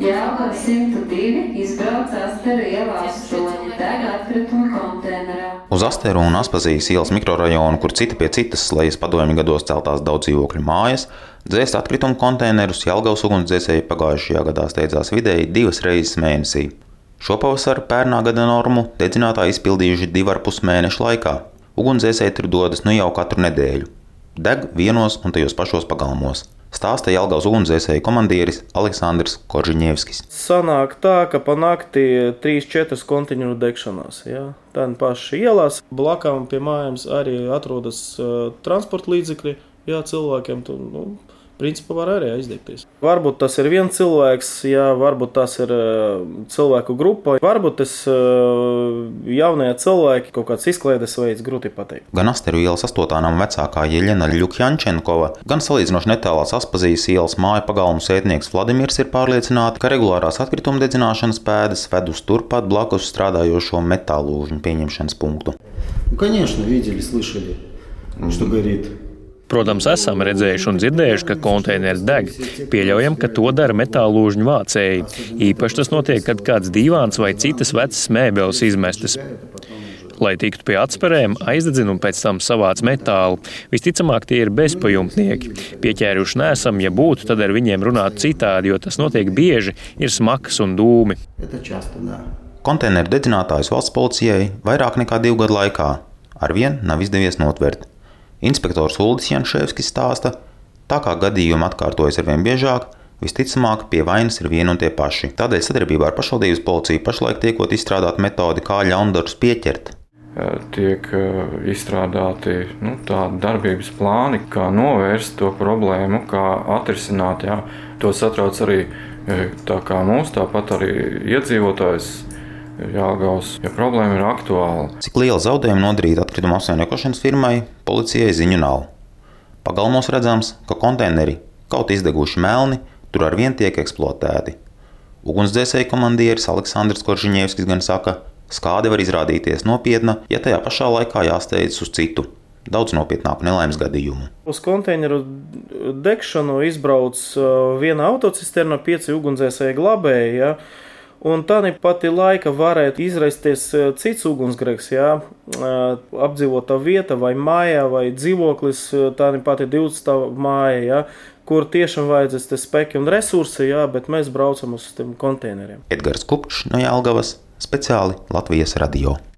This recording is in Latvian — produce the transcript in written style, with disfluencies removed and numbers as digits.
Jelgava 102 izbrauc Asteru ielā 8, deg atkrituma konteinerā. Uz Asteru un Aspazijas ielas mikrorajonu, kur cita pie citas slejas padomju gados celtās daudz dzīvokļu mājas, dzēst atkrituma konteinerus Jelgavas ugunsdzēsēji pagājušajā gadā steidzās vidēji 2 reizes mēnesī. Šopavasar pērnā gada normu dedzinātāji izpildījuši 2,5 mēnešu laikā. Ugunsdzēsēji tur dodas nu jau katru nedēļu. Deg vienos un tajos pašos pagalmos. Stāsta Jelgavas ugunsdzēsēju komandieris Aleksandrs Koržiņevskis. Sanāk tā, ka pa nakti 3-4 konteineru degšanās. Ja? Tā paši ielās. Blakām pie mājām arī atrodas transporta līdzekļi. Ja, cilvēkiem tu, principā var arī aizdegties. Varbūt tas ir viens cilvēks, ja, varbūt tas ir cilvēku grupa. Varbūt tas jaunie cilvēki, kaut kāds izklaides veids, grūti pateikt. Gan Asteru ielas 8. nama vecākā Jeļena Ļukjančenkova, gan salīdzinoši netālās Aspazijas ielas māju pagalmu sētnieks Vladimirs ir pārliecināti, ka regulārās atkrituma dedzināšanas pēdas ved uz turpat blakus strādājošo metālūžņu pieņemšanas punktu. Конечно, видели, слышали, что горит. Protams, esam redzējuši un dzirdējuši, ka konteineri deg. Pieļaujam, ka to dara metālūžņu vācēji. Īpaši tas notiek, kad kāds dīvāns vai citas vecas mēbeles izmestas. Lai tiktu pie atsperēm, aizdedzina un pēc tam savāc metālu. Visticamāk, tie ir bezpajumtnieki. Pieķēruši neesam, ja būtu, tad ar viņiem runātu citādi, jo tas notiek bieži, ir smakas un dūmi. Konteineru dedzinātājus valsts policijai vairāk nekā 2 gadu laikā arvien nav izdevies notvert. Inspektors Uldis Janševskis stāsta, tā kā gadījumi atkārtojas arvien biežāk, visticamāk pie vainas ir vieni un tie paši. Tādēļ sadarbībā ar pašvaldības policiju pašlaik tiekot izstrādāt metodi, kā ļaundarus pieķert. Tiek izstrādāti tādi darbības plāni, kā novērst to problēmu, kā atrisināt. Jā. To satrauc arī tā kā mūs, tāpat arī iedzīvotājs Jelgavas, ja problēma ir aktuāla. Cik liela zaudējuma nodarīta atkrituma apsaimniekošanas firmai, policijai ziņu nav. Pagalmos redzams, ka konteineri, kaut izdeguši melni, tur arvien tiek eksploatēti. Ugunsdzēsēju komandieris Aleksandrs Koržiņevskis gan saka, skāde var izrādīties nopietna, ja tajā pašā laikā jāsteidzas uz citu, daudz nopietnāku nelaimes gadījumu. Uz konteineru degšanu izbrauc viena autocisterna, 5 ugunsdzēsēju glabēji, ja? Un tādā pati laika varētu izraisties cits ugunsgrēks, ja? Apdzīvotā vieta vai mājā vai dzīvoklis, tādā pati 20 māja, ja? Kur tiešām vajadzēs te spēki un resursi, ja? Bet mēs braucam uz tiem konteineriem. Edgars Kupčs no Jelgavas, speciāli Latvijas radio.